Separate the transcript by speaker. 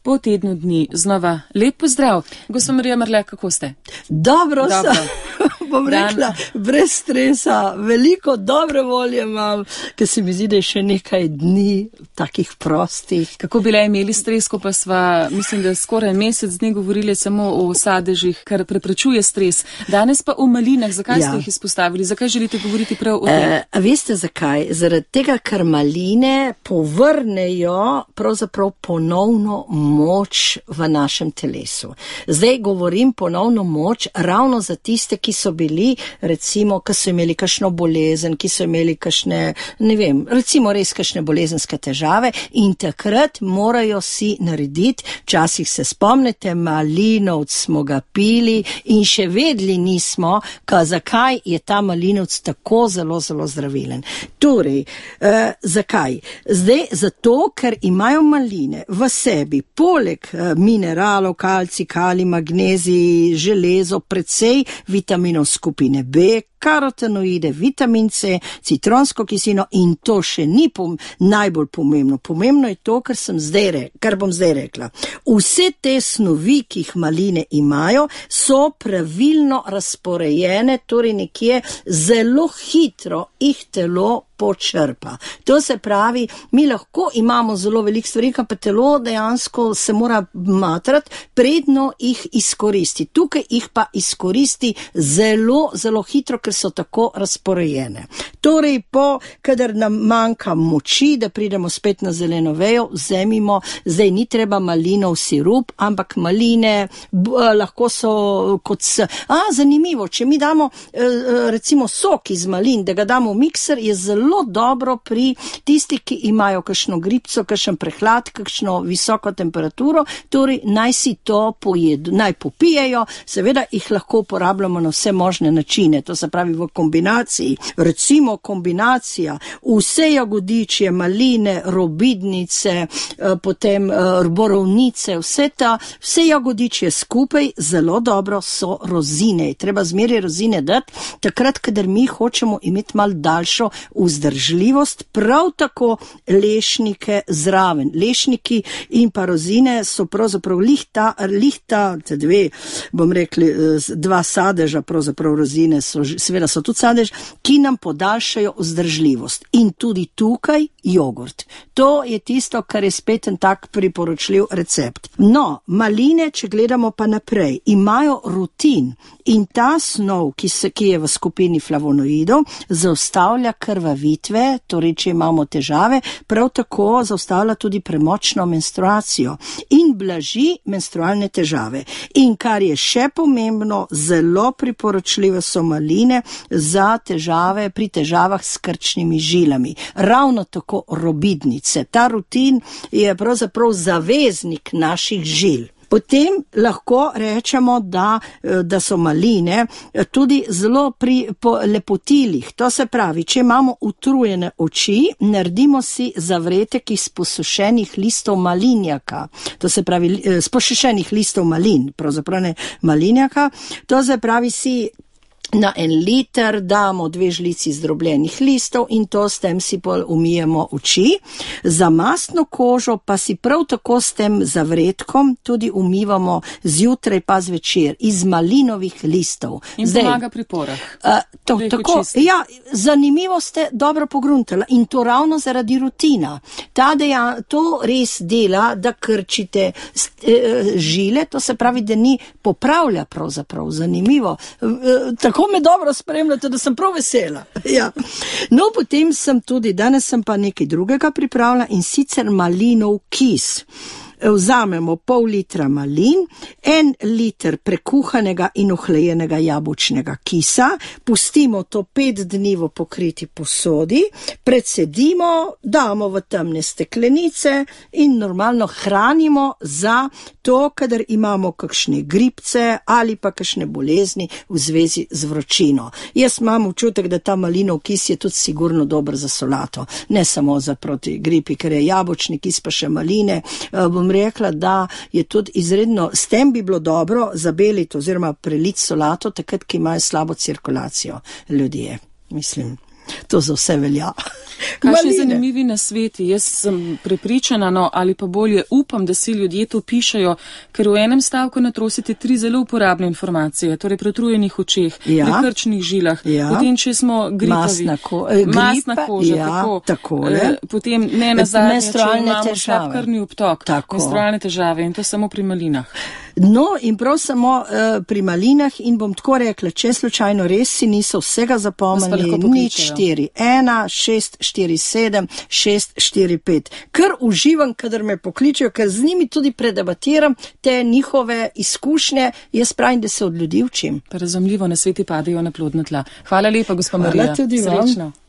Speaker 1: po tednu dni znova lep pozdrav. Gospa Marija Marle, kako ste?
Speaker 2: Dobro. Bom rekla, brez stresa, veliko dobre volje imam, ker se mi zdi, da je še nekaj dni takih prostih.
Speaker 1: Kako bi le imeli stres, ko pa sva, mislim, da skoraj mesec dni govorili samo o sadežih, kar preprečuje stres. Danes pa o malinah. Zakaj ste jih izpostavili? Zakaj želite govoriti prav o tem?
Speaker 2: Veste zakaj? Zaradi tega, ker maline povrnejo pravzaprav ponovno moč v našem telesu. Zdaj govorim ponovno moč ravno za tiste, ki so bili, recimo, ki so imeli kakšno bolezen, ki so imeli kakšne, ne vem, recimo res kakšne bolezenske težave in takrat morajo si narediti, včasih se spomnite, malinovc smo ga pili in še vedeli nismo, zakaj je ta malinovc tako zelo, zelo zdravilen. Torej, zakaj? Zdaj, zato, ker imajo maline v sebi, poleg mineralov, kalcij, kalij, magnezij, železo, precej vitaminov skupine B, karotenoide, vitamin C, citronsko kislino in to še ni najbolj pomembno. Pomembno je to, kar bom zdaj rekla. Vse te snovi, ki jih maline imajo, so pravilno razporejene, torej nekje zelo hitro jih telo počrpa. To se pravi, mi lahko imamo zelo veliko stvari, pa telo dejansko se mora matrati, predno jih izkoristi. Tukaj jih pa izkoristi zelo, zelo hitro, ker so tako razporejene. Torej, kadar nam manjka moči, da pridemo spet na zeleno vejo, vzemimo, zdaj ni treba malinov sirup, ampak maline lahko so kot zanimivo, če mi damo recimo sok iz malin, da ga damo v mikser, je zelo dobro pri tistih, ki imajo kakšno gripco, kakšen prehlad, kakšno visoko temperaturo, torej naj si to pojedo, naj popijejo, seveda jih lahko uporabljamo na vse možne načine, to se pravi v kombinaciji, recimo kombinacija vse jagodičje, maline, robidnice, potem borovnice, vse jagodičje skupaj zelo dobro so rozine. Treba zmeraj rozine dati, takrat, kadar mi hočemo imeti malo daljšo vzdržljivost, prav tako lešnike zraven. Lešniki in pa rozine so pravzaprav dva sadeža, pravzaprav rozine seveda so tudi sadež, ki nam podaljšajo vzdržljivost. In tudi tukaj jogurt. To je tisto, kar je spet en tak priporočljiv recept. No, maline, če gledamo pa naprej, imajo rutin in ta snov, ki je v skupini flavonoidov, zaustavlja krvavitve, torej če imamo težave, prav tako zaustavlja tudi premočno menstruacijo in blaži menstrualne težave. In kar je še pomembno, zelo priporočljive so maline za težave, pri težavah s krčnimi žilami. Ravno tako robidnice. Ta rutin je pravzaprav zaveznik naših žil. Potem lahko rečemo, da so maline tudi zelo pri lepotilih. To se pravi, če imamo utrujene oči, naredimo si zavretek iz posušenih listov malinjaka. To se pravi, iz posušenih listov malin, pravzaprav ne malinjaka. To se pravi, si na 1 liter damo 2 žlici zdrobljenih listov in to s tem si umijemo oči. Za mastno kožo pa si prav tako s tem zavretkom tudi umivamo zjutraj pa zvečer iz malinovih listov.
Speaker 1: In pomaga pri porah.
Speaker 2: Tako, ja, zanimivo ste dobro pogruntala in to ravno zaradi rutina. To res dela, da krčite žile, to se pravi, da ni popravlja pravzaprav. Zanimivo. Tako me dobro spremljate, da sem prav vesela. Ja. No, potem danes sem pa nekaj drugega pripravila in sicer malinov kis. Vzamemo pol litra malin, 1 liter prekuhanega in ohlajenega jabolčnega kisa, pustimo to 5 dni v pokriti posodi, precedimo, damo v temne steklenice in normalno hranimo za to, kadar imamo kakšne gripce ali pa kakšne bolezni v zvezi z vročino. Jaz imam občutek, da ta malinov kis je tudi sigurno dober za solato, ne samo za proti gripi, ker je jabolčni kis pa še maline, bom rekla, da je tudi izredno, s tem bi bilo dobro zabeliti oziroma preliti solato, takrat, ki imajo slabo cirkulacijo ljudje, mislim. To za vse velja.
Speaker 1: Kakšni zanimivi nasveti? Jaz sem prepričana, ali pa bolje upam, da si ljudje to pišejo, ker v enem stavku natrosite 3 zelo uporabne informacije, torej pri utrujenih očeh, pri krčnih žilah, potem, če smo gripavi, masna koža, potem ne nazadnje, če imamo slab krvni obtok, menstrualne težave in to samo pri malinah.
Speaker 2: No, in prav samo pri malinah in bom tako rekla, če slučajno res si niso vsega zapomnili, nič 4, 1, 6, 4, 7, 6, 4, 5. Ker uživam, kadar me pokličejo, ker z njimi tudi predebatiram te njihove izkušnje, jaz pravim, da se od ljudi učim.
Speaker 1: Pa razumljivo, nasveti padejo na plodna tla. Hvala lepa, gospa Marija.
Speaker 2: Hvala tudi vam.
Speaker 1: Srečno.